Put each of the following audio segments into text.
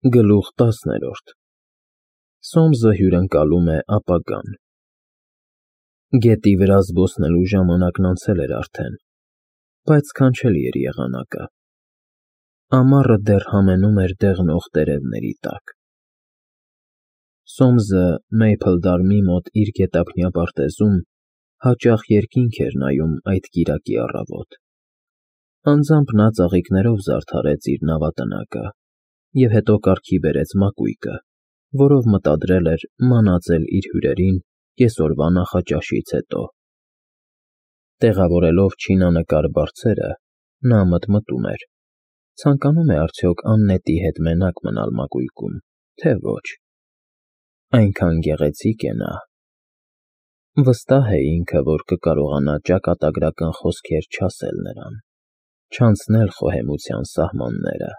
Գլուխ 10 Սոմսը հյուրընկալում է ապագան։ Գետի վրա զբոսնելու ժամանակն անցել էր արդեն, բայց սքանչելի էր եղանակը։ Ամառը դեռ համենում էր դեղնող տերևների տակ։ Սոմսը Մեյփլդարմի մոտ իր գետափնյա պարտեզում հաճախ երկինք էր նայում այդ կիրակի առավոտ։ Անձամբ նա ծաղիկներով զարդարեց իր նավատնակը և հետո կարգի բերեց մակույկը, որով մտադրել էր մանածել իր հյուրերին կեսօրվա նախաճաշից հետո։ Տեղավորելով չինանկար բարձերը, նա մտմտում էր. ցանկանում է արդյոք Աննետի հետ մենակ մնալ մակույկում, թե ոչ։ Այնքան գեղեցիկ է նա։ Վստահ է ինքը, որ կկարողանա ճակատագրական խոսքեր չասել նրան, չանցնել խոհեմության սահմանները։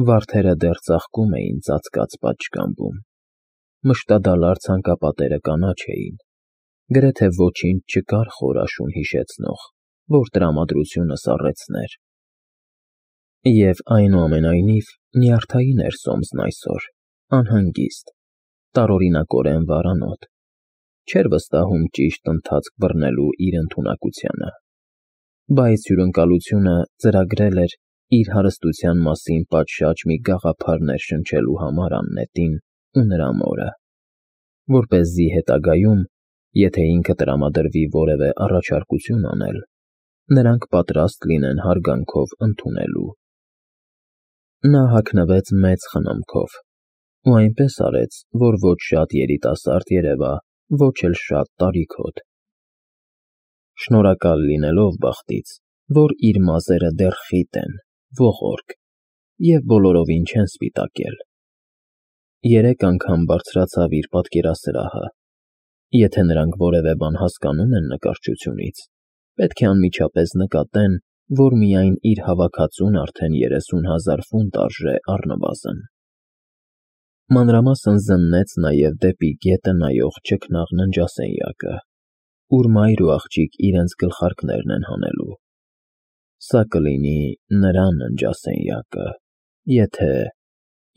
Վարդերը դեռ ծաղկում էին ծածկած պատշգամբում, մշտադալար ցանկապատերը կանաչ էին, գրեթե ոչինչ չկար խոր աշուն հիշեցնող, որ տրամադրությունը սառեցներ։ Եվ այնուամենայնիվ նյարդային էր Սոմսն այսօր, անհանգիստ, տարօրինակորեն վարանոտ, չէր վստահում ճիշտ ընթացք բռնելու իր ընդունակությանը, բայց հյուրընկալությունը ծրագրել էր իր հարստության մասին պատշաճ մի գաղափար ներշնչելու համար Աննետին ու նրա մորը, որպեսզի հետագայում, եթե ինքը տրամադրվի որևէ առաջարկություն անել, նրանք պատրաստ լինեն հարգանքով ընդունելու։ Նա հագնվեց մեծ խնամքով ու այնպես արեց, որ ոչ շատ երիտասարդ երևա, ոչ էլ շատ տարիքոտ։ Շնորհակալ լինելով բախտից, որ իր մազերը դեռ խիտ են, ողորկ և բոլորովին չեն սպիտակել։ 3 անգամ բարձրացավ իր պատկերասրահը։ Եթե նրանք որևէ բան հասկանում են նկարչությունից, պետք է անմիջապես նկատեն, որ միայն իր հավաքածուն արդեն 30,000 ֆունտ արժե առնվազն։ Մանրամասն զննեց նաև դեպի գետը նայող ճգնաղ ննջասենյակը, ուր մայր ու աղջիկ իրենց գլխարկներն են հանելու։ Սա կլինի նրա ննջասենյակը,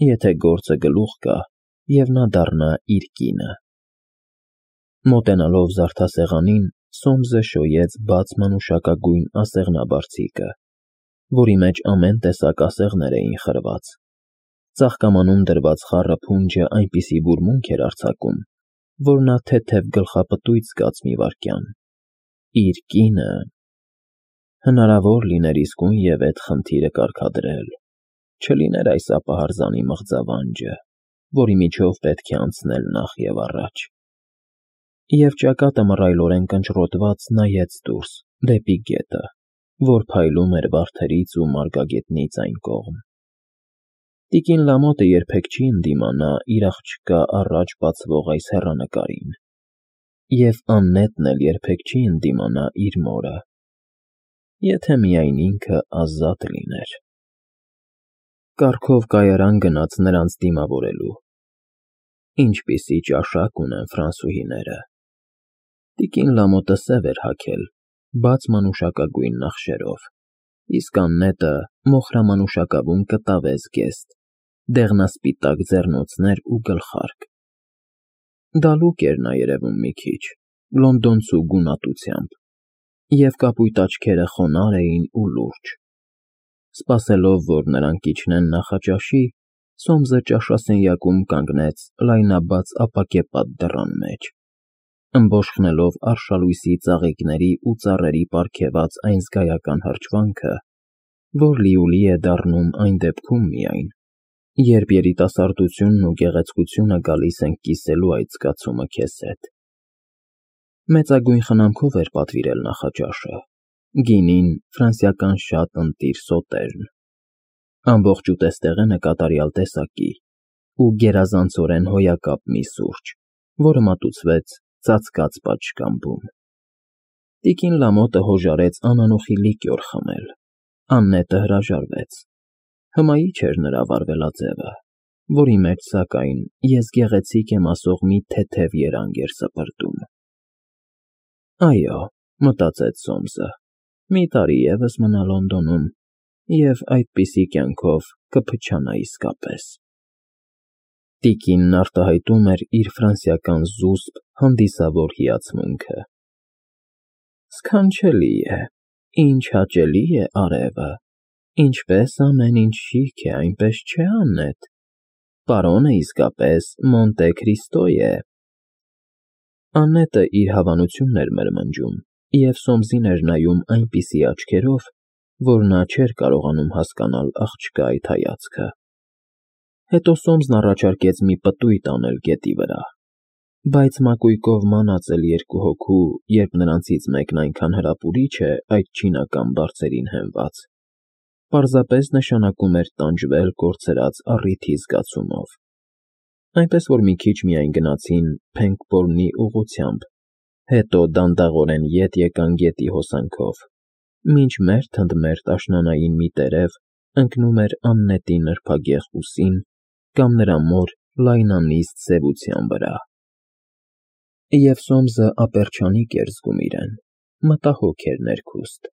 եթե գործը գլուխ գա, և նա դառնա իր կինը։ Մոտենալով զարդասեղանին, Սոմսը շոյեց բաց մանուշակագույն ասեղնաբարձիկը, որի մեջ ամեն տեսակ ասեղներ էին խրված։ Ծաղկամանում դրված խառը փունջը այնպիսի բուրմունք էր արձակում, որ նա թեթև գլխապտույտ զգաց մի վայրկյան։ Իր կինը… Հնարավոր լիներ իսկույն այդ խնդիրը կարգադրել, չլիներ այս ապահարզանի մղձավանջը, որի միջով պետք է անցնել նախ և առաջ։ Եվ ճակատը մռայլորեն կնճռոտված նայեց դուրս, դեպի գետը, որ փայլում էր վարդերից ու մարգագետնից այն կողմ։ Տիկին Լամոթը երբեք չի ընդդիմանա իր աղջկա առաջ բացվող այս հեռանկարին, և Աննետն էլ երբեք չի ընդդիմանա իր մորը, եթե միայն ինքը ազատ լիներ։ Կառքով կայարան գնաց նրանց դիմավորելու։ Ինչպիսի ճաշակ ունեն ֆրանսուհիները։ Տիկին Լամոթը սև էր հագել, բաց մանուշակագույն նախշերով, իսկ Աննետը մոխրամանուշակավուն կտավե զգեստ, դեղնասպիտակ ձեռնոցներ ու գլխարկ։ Դալուկ էր նա երևում մի քիչ, լոնդոնցու գունատությամբ, և կապույտ աչքերը խոնարհ էին ու լուրջ։ Սպասելով, որ նրանք իջնեն նախաճաշի, Սոմսը ճաշասենյակում կանգնեց լայնաբաց ապակեպատ դռան մեջ, ըմբոշխնելով արշալույսի ծաղիկների ու ծառերի պարգևած այն զգայական հրճվանքը, որ լիուլի է դառնում այն դեպքում միայն, երբ երիտասարդությունն ու գեղեցկությունը գալիս են կիսելու այդ զգացումը քեզ հետ։ Մեծագույն խնամքով էր պատվիրել նախաճաշը, գինին ֆրանսիական շատ ընտիր սոտերն, ամբողջ ուտեստեղենը կատարյալ տեսակի ու գերազանցորեն հոյակապ մի սուրճ, որը մատուցվեց ծածկած պատշգամբում։ Տիկին Լամոթը հոժարեց անանուխի լիկյոր խմել, Աննետը հրաժարվեց։ Հմայիչ էր նրա վարվելաձևը, որի մեջ, սակայն, ես գեղեցիկ եմ ասող մի թեթև երանգ էր սպրտում։ Այո, մտածեց Սոմսը, մի տարի ևս մնա Լոնդոնում, և այդպիսի կյանքով կփչանա իսկապես։ Տիկինն արտահայտում էր իր ֆրանսիական զուսպ, հանդիսավոր հիացմունքը։ Սքանչելի է, ինչ հաճելի է արևը, ինչպես ամեն ինչ շիկ է, այնպես չէ Աննետ, պարոնը իսկապես Մոնտե Քրիստո է։ Աննետը իր հավանությունն էր մրմնջում և Սոմսին էր նայում այնպիսի աչքերով, որ նա չէր կարողանում հասկանալ աղջկա այդ հայացքը։ Հետո Սոմսն առաջարկեց մի պտույտ անել գետի վրա, բայց մակույկով մանածել երկու հոգու, երբ նրանցից մեկն այնքան հրապուրիչ է այդ չինական բարձերին հենված, պարզապես նշանակում էր տանջվել կորցրած առիթի զգացումով, այնպես որ մի քիչ միայն գնացին Փենգբորնի ուղղությամբ, հետո դանդաղորեն ետ եկան գետի հոսանքով, մինչ մերթ ընդ մերթ աշնանային մի տերև ընկնում էր Աննետի նրբագեղ ուսին կամ նրա մոր լայնանիստ սևության վրա։ Եվ Սոմսը ապերչանիկ էր զգում իրեն, մտահոգ էր ներքուստ։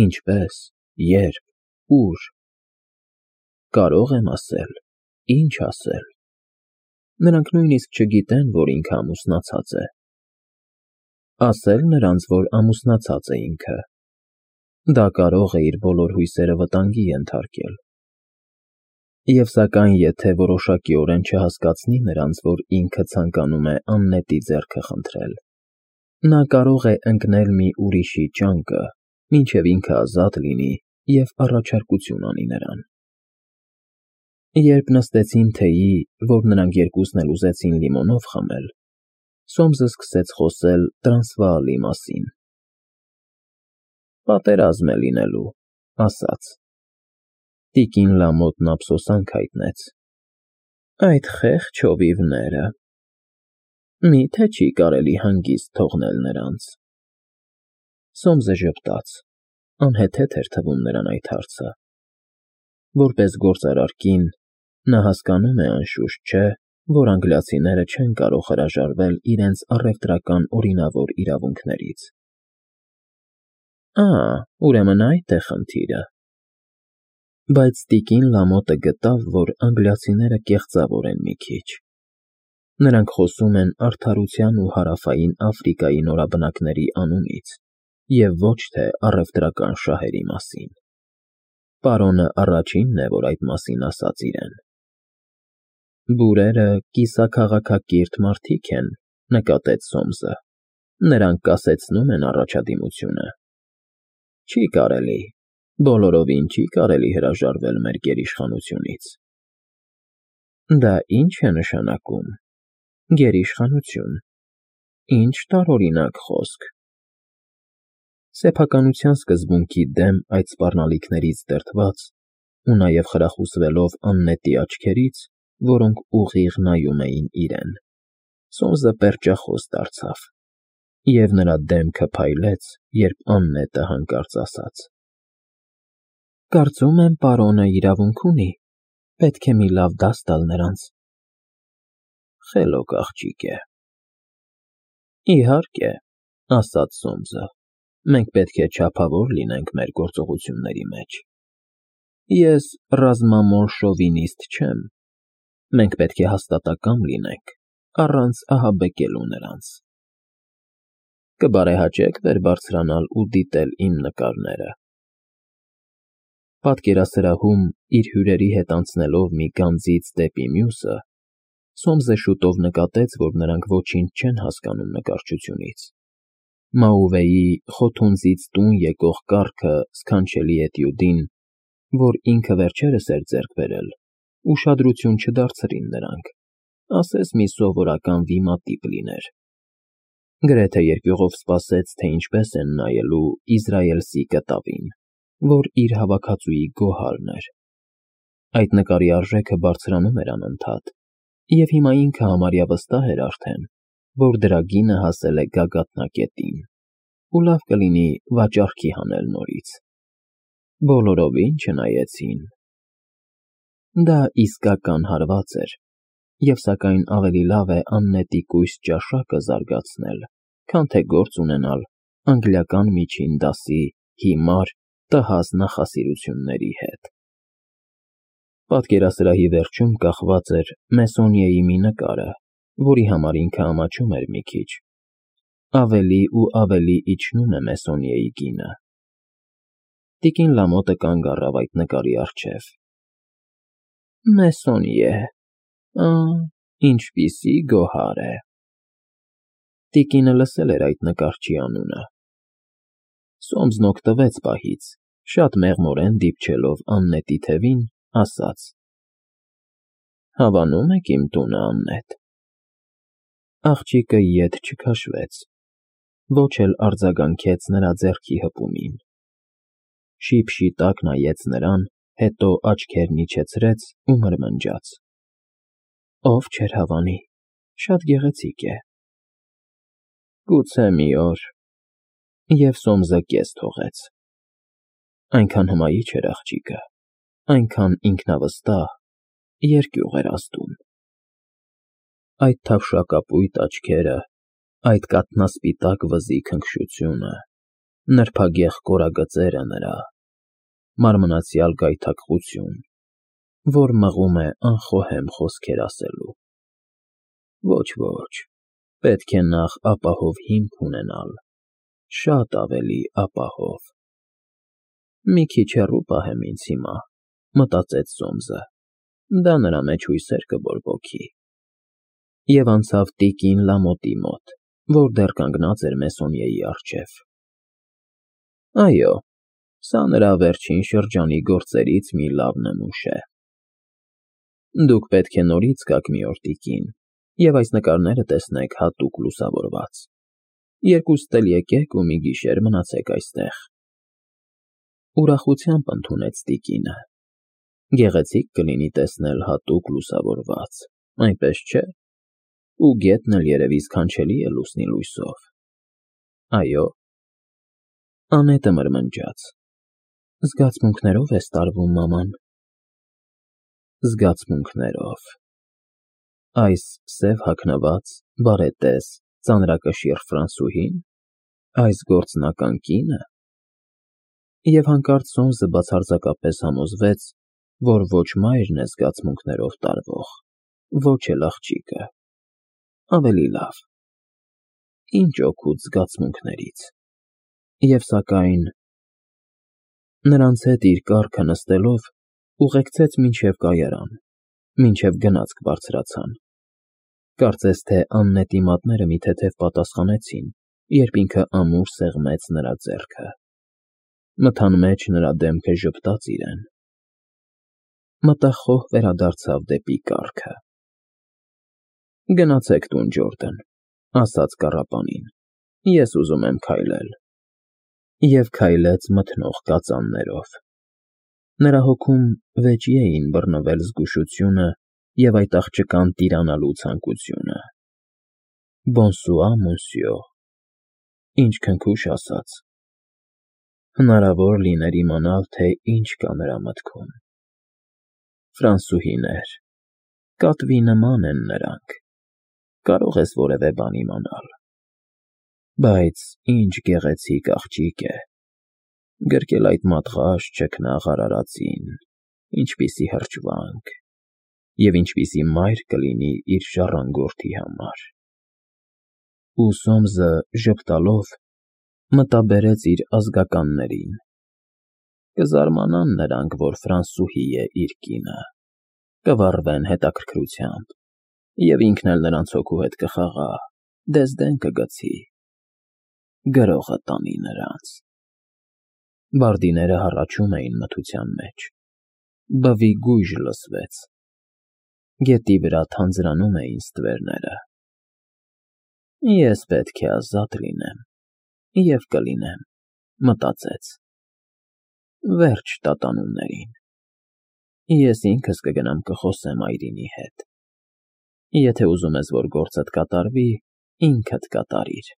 Ինչպե՞ս, ե՞րբ, ո՞ւր։ Կարո՞ղ եմ ասել, ի՞նչ ասել։ Նրանք նույնիսկ չգիտեն, որ ինքը ամուսնացած է։ Ասել նրանց, որ ամուսնացած է ինքը։ Դա կարող է իր բոլոր հույսերը վտանգի ենթարկել։ Եվ սակայն եթե որոշակիորեն չհասկացնի նրանց, որ ինքը ցանկանում է Աննետի ձեռքը խնդրել, նա կարող է ընկնել մի ուրիշի ճանկը, մինչև ինքը ազատ լինի և առաջարկություն անի նրան։ Երբ նստեցին թեյի, որ նրանք երկուսն էլ ուզեցին լիմոնով խմել, Սոմսը սկսեց խոսել Տրանսվաալի մասին։ Պատերազմ է լինելու, ասաց։ Տիկին Լամոթն ափսոսանք հայտնեց։ Այդ խեղճ հովիվները… Մի՞թե չի կարելի հանգիստ թողնել նրանց։ Սոմսը ժպտաց, անհեթեթ էր թվում նրան այդ հարցը։ Որպես գործարար կին, նա հասկանում է անշուշտ, չէ՞, որ անգլիացիները չեն կարող հրաժարվել իրենց առևտրական օրինավոր իրավունքներից։ Ուրեմն այդ է խնդիրը։ Բայց տիկին Լամոթը գտավ, որ անգլիացիները կեղծավոր են մի քիչ։ Նրանք խոսում են արդարության ու Հարավային Աֆրիկայի նորաբնակների անունից և ոչ թե առևտրական շահերի մասին։ Պարոնը առաջինն է, որ այդ մասին ասաց իրեն։ Բուրերը կիսաքաղաքակիրթ մարդիկ են, նկատեց Սոմսը, նրանք կասեցնում են առաջադիմությունը։ Չի կարելի, բոլորովին չի կարելի հրաժարվել մեր գերիշխանությունից։ Դա ի՞նչ է նշանակում, գերիշխանություն, ինչ տարօրինակ խոսք։ Սեփականության սկզբունքի դեմ այդ սպառնալիքներից դրդված ու նաև խրախուսվելով Աննետի աչքերից, որոնք ուղիղ նայում էին իրեն, Սոմսը պերճախոս դարձավ, և նրա դեմքը փայլեց, երբ Աննետը հանկարծ ասաց. Կարծում եմ, պարոնը իրավունք ունի, պետք է մի լավ դաս տալ նրանց։ Խելոք աղջիկ է։ Իհարկե, ասաց Սոմսը, մենք պետք է չափավոր լինենք մեր գործողությունների մեջ։ Ես ռազմամոլ շովինիստ չեմ։ Մենք պետք է հաստատակամ լինենք, առանց ահաբեկելու նրանց։ Կբարեհաճեք վեր բարձրանալ ու դիտել իմ նկարները։ Պատկերասրահում իր հյուրերի հետ անցնելով մի գանձից դեպի մյուսը, Սոմսը շուտով նկատեց, որ նրանք ոչինչ չեն հասկանում նկարչությունից։ Մաուվեի խոթունձից տուն եկող կառքը սքանչելի էտյուդին, որ ինքը վերջերս էր ձեռք բերել, ուշադրություն չդարձրին նրանք, ասես մի սովորական վիմատիպ լիներ։ Գրեթե երկյուղով սպասեց, թե ինչպես են նայելու իզրայելցի կտավին, որ իր հավաքածուի գոհարն էր։ Այդ նկարի արժեքը բարձրանում էր անընդհատ, և հիմա ինքը համարյա վստահ էր արդեն, որ դրա գինը հասել է գագաթնակետին, ու լավ կլինի վաճառքի հանել նորից։ Բոլորովին չնայեցին։ Դա իսկական հարված էր, և սակայն ավելի լավ է Աննետի կույս ճաշակը զարգացնել, քան թե գործ ունենալ անգլիական միջին դասի հիմար, տհաս նախասիրությունների հետ։ Պատկերասրահի վերջում կախված էր Մեսոնիեի մի նկարը, որի համար ինքը ամաչում էր մի քիչ։ Ավելի ու ավելի իջնում է Մեսոնիեի գինը։ Տիկին Լամոտը կանգ առավ այդ նկարի առջև։ Մեսոնիե, ինչպիսի գոհար է։ Տիկինը լսել էր այդ նկարչի անունը։ Սոմսն օգտվեց պահից, շատ մեղմորեն դիպչելով Աննետի թևին, ասաց. Հավանում եք իմ տունը, Աննետ։ Աղջիկը ետ չքաշվեց, ոչ էլ արձագանքեց նրա ձեռքի հպումին։ Շիփ-շիտակ նայեց նրան, հետո աչքերն իջեցրեց ու մրմնջաց. Ով չէր հավանի, շատ գեղեցիկ է։ Գուցե մի օր։ Եվ Սոմսը կես թողեց։ Այնքան հմայիչ էր աղջիկը, այնքան ինքնավստահ, երկյուղ էր ազդում։ Այդ թավշակապույտ աչքերը, այդ կաթնասպիտակ վզի քնքշությունը, նրբագեղ կորագծերը նրա, մարմնացյալ գայթակղություն, որ մղում է անխոհեմ խոսքեր ասելու։ Ոչ, պետք է նախ ապահով հիմք ունենալ, շատ ավելի ապահով։ Մի քիչ հեռու պահեմ ինձ հիմա, մտածեց Սոմսը, դա նրա մեջ հույսեր կբորբոքի։ Եվ անցավ տիկին Լամոտի մոտ, որ դեռ կանգնած էր Մեսոնիեի առջև։ Այո, սա նրա վերջին շրջանի գործերից մի լավ նմուշ է։ Դուք պետք է նորից գաք մի օր, տիկին, և այս նկարները տեսնեք հատուկ լուսավորված։ Երկուստ էլ եկեք ու մի գիշեր մնացեք այստեղ։ Ուրախությամբ ընդունեց տիկինը։ Գեղեցիկ կլինի տեսնել հատուկ լուսավորված, այնպես չէ՞։ Ու գետն էլ երևի սքանչելի է լուսնի լույսով։ Այո։ Անետը մրմնջաց. Զգացմունքներով ես տարվում, մաման։ Զգացմունքներով։ Այս սև հագնված, բարետես, ծանրակշիռ ֆրանսուհի՞ն, այս գործնական կինը։ Եվ հանկարծ Սոմսը բացարձակապես համոզվեց, որ ոչ մայրն է զգացմունքներով տարվող, ոչ էլ աղջիկը։ Ավելի լավ։ Ինչ օգուտ զգացմունքներից։ Եվ սակայն նրանց հետ իր կառքը նստելով ուղեկցեց մինչև կայարան, մինչև գնացք բարձրացան։ Կարծես թե Աննետի մատները մի թեթև պատասխանեցին, երբ ինքը ամուր սեղմեց նրա ձեռքը։ Մթան մեջ նրա դեմքը ժպտաց իրեն։ Մտախոհ վերադարձավ դեպի կառքը։ Գնացեք տուն, Ջորդն, ասաց կառապանին, ես ուզում եմ քայլել։ Եվ քայլեց մթնող կածաններով։ Նրա հոգում վեճի էին բռնվել զգուշությունը և այդ աղջկան տիրանալու ցանկությունը։ Բոնսուա, մոնսյո, ինչ քնքուշ ասաց։ Հնարավոր լիներ իմանալ, թե ինչ կա նրա մտքում։ Ֆրանսուհիներ, կատվի նման են նրանք, կարող ես որևէ բան իմանալ։ Բայց ինչ գեղեցիկ աղջիկ է, գրկել այդ մատղաշ ճկնաղ արարածին, ինչպիսի հրճվանք, և ինչպիսի մայր կլինի իր ժառանգորդի համար։ Ու Սոմսը ժպտալով մտաբերեց իր ազգականներին։ Կզարմանան նրանք, որ ֆրանսուհի է իր կինը, կվառվեն հետաքրքրությամբ, և ինքն էլ նրանց հոգու հետ կխաղա, դեզդեն կգցի, գրողը տանի նրանց։ Բարդիները հառաչում էին մթության մեջ։ Բվի գույժ լսվեց։ Գետի վրա թանձրանում էին ստվերները։ Ես պետք է ազատ լինեմ, և կլինեմ, մտածեց։ Վերջ տատանումներին։ Ես ինքս կգնամ կխոսեմ այրինի հետ։ Եթե ուզում ես, որ գործդ կատարվի, ինքդ կատարիր։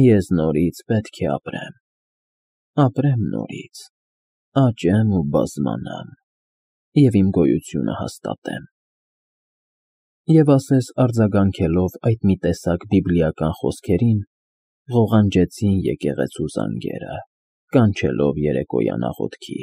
Ես նորից պետք է ապրեմ։ Ապրեմ նորից, աճեմ ու բազմանամ, և իմ գոյությունը հաստատեմ։ Եվ ասես արձագանքելով այդ մի տեսակ բիբլիական խոսքերին, ղողանջեցին եկեղեցու զանգերը, կանչելով երեկոյան աղոթքի։